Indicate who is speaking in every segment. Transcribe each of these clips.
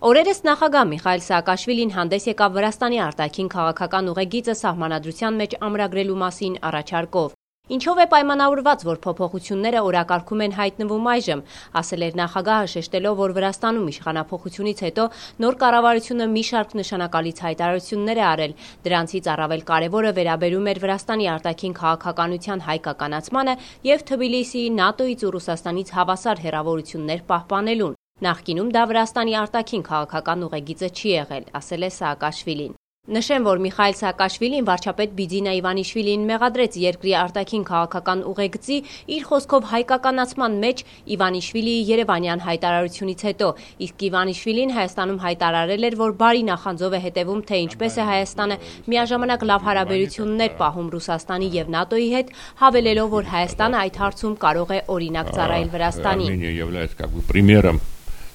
Speaker 1: Օրերս նախագահ Միխայիլ Սաակաշվիլին հանդես եկավ Վրաստանի արտաքին քաղաքական ուղեգիծը սահմանադրության մեջ ամրագրելու մասին առաջարկով։ Ինչով է պայմանավորված, որ փոփոխությունները օրակարգում են հայտնվում այժմ, ասել էր նախագահը, շեշտելով, որ Վրաստանում իշխանափոխությունից հետո նոր կառավարությունը մի շարք նշանակալից հայտարարություններ է արել։ Դրանցից առավել կարևորը վերաբերում էր Վրաստանի արտաքին քաղաքականության հայկականացմանը եւ Թբիլիսիի ՆԱՏՕ-ից ու Ռուսաստանից հավասար հեռավորություններ պահպանելուն։ Նախկինում դա Վրաստանի արտաքին քաղաքական ուղեգիծը չի եղել, ասել է Սաակաշվիլին։ Նշեմ, որ Միխայիլ Սաակաշվիլին վարչապետ Բիձինա Իվանիշվիլիին մեղադրեց երկրի արտաքին քաղաքական ուղեգծի իր խոսքով հայկականացման մեջ Իվանիշվիլիի երևանյան հայտարարությունից հետո, իսկ Իվանիշվիլին Հայաստանում հայտարարել էր, որ բարի նախանձով է հետևում, թե ինչպես է Հայաստանը միաժամանակ լավ հարաբերություններ պահում Ռուսաստանի եւ ՆԱՏՕ-ի հետ, հավելելով, որ Հայաստանը այդ հարցում կարող է օրինակ ծառայել Վրաստանին։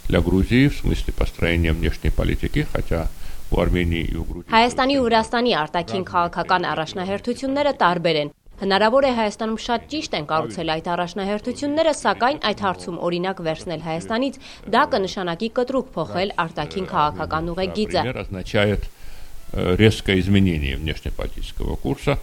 Speaker 2: Для Грузии в смысле построения внешней политики, хотя у Армении и у Грузии...
Speaker 1: Հայաստանի ու Վրաստանի արտաքին քաղաքական առաջնահերթությունները տարբեր են։ Հնարավոր է Հայաստանում շատ ճիշտ են կառուցել այդ առաջնահերթությունները, սակայն այդ հարցում օրինակ վերցնել Հայաստանից, դա կնշանակի կտրուկ փոխել արտաքին քաղաքական ուղեգիծը։
Speaker 2: Означает резкое изменение внешнеполитического курса.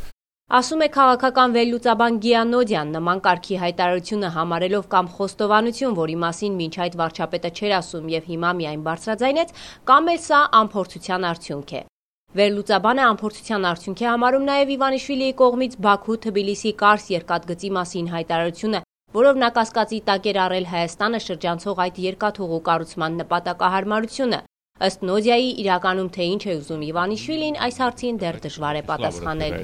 Speaker 1: Ասում է քաղաքական վերլուծաբան Գիանոդյան, նման կարգի հայտարարությունը համարելով կամ խոստովանություն, որի մասին մինչ այդ վարչապետը չէր ասում եւ հիմա միայն բարձրաձայնեց, կամ էլ սա անփորձության արդյունք է։ Վերլուծաբանը անփորձության արդյունք է համարում նաեւ Իվանիշվիլիի կողմից Բաքու-Թբիլիսի Կարս երկաթգծի մասին հայտարարությունը, որով նա կասկածի տակ էր առել Հայաստանը շրջանցող այդ երկաթուղու կառուցման նպատակահարմարությունը։ Ըստ Նոդիայի, իրականում թե ինչ է ուզում Իվանիշվիլին, այս հարցին դեռ դժվար է պատասխանել։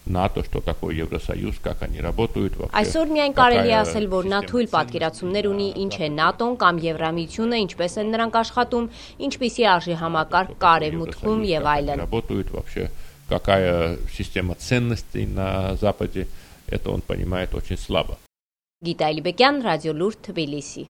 Speaker 2: ՆԱՏՕ, что такое Евросоюз, как они работают вообще.
Speaker 1: Այսօր միայն կարելի է ասել, որ նա թույլ պատկերացումներ ունի, ինչ է ՆԱՏՕ-ն կամ Եվրամիությունը, ինչպես են նրանք աշխատում, ինչպիսի արժեհամակարգ կա Արևմուտքում եւ այլն։
Speaker 2: Работают вообще, какая система ценностей на Западе, это он понимает очень слабо.
Speaker 1: Գիտա Այլիբեկյան, Ռադիոլուր, Թբիլիսի։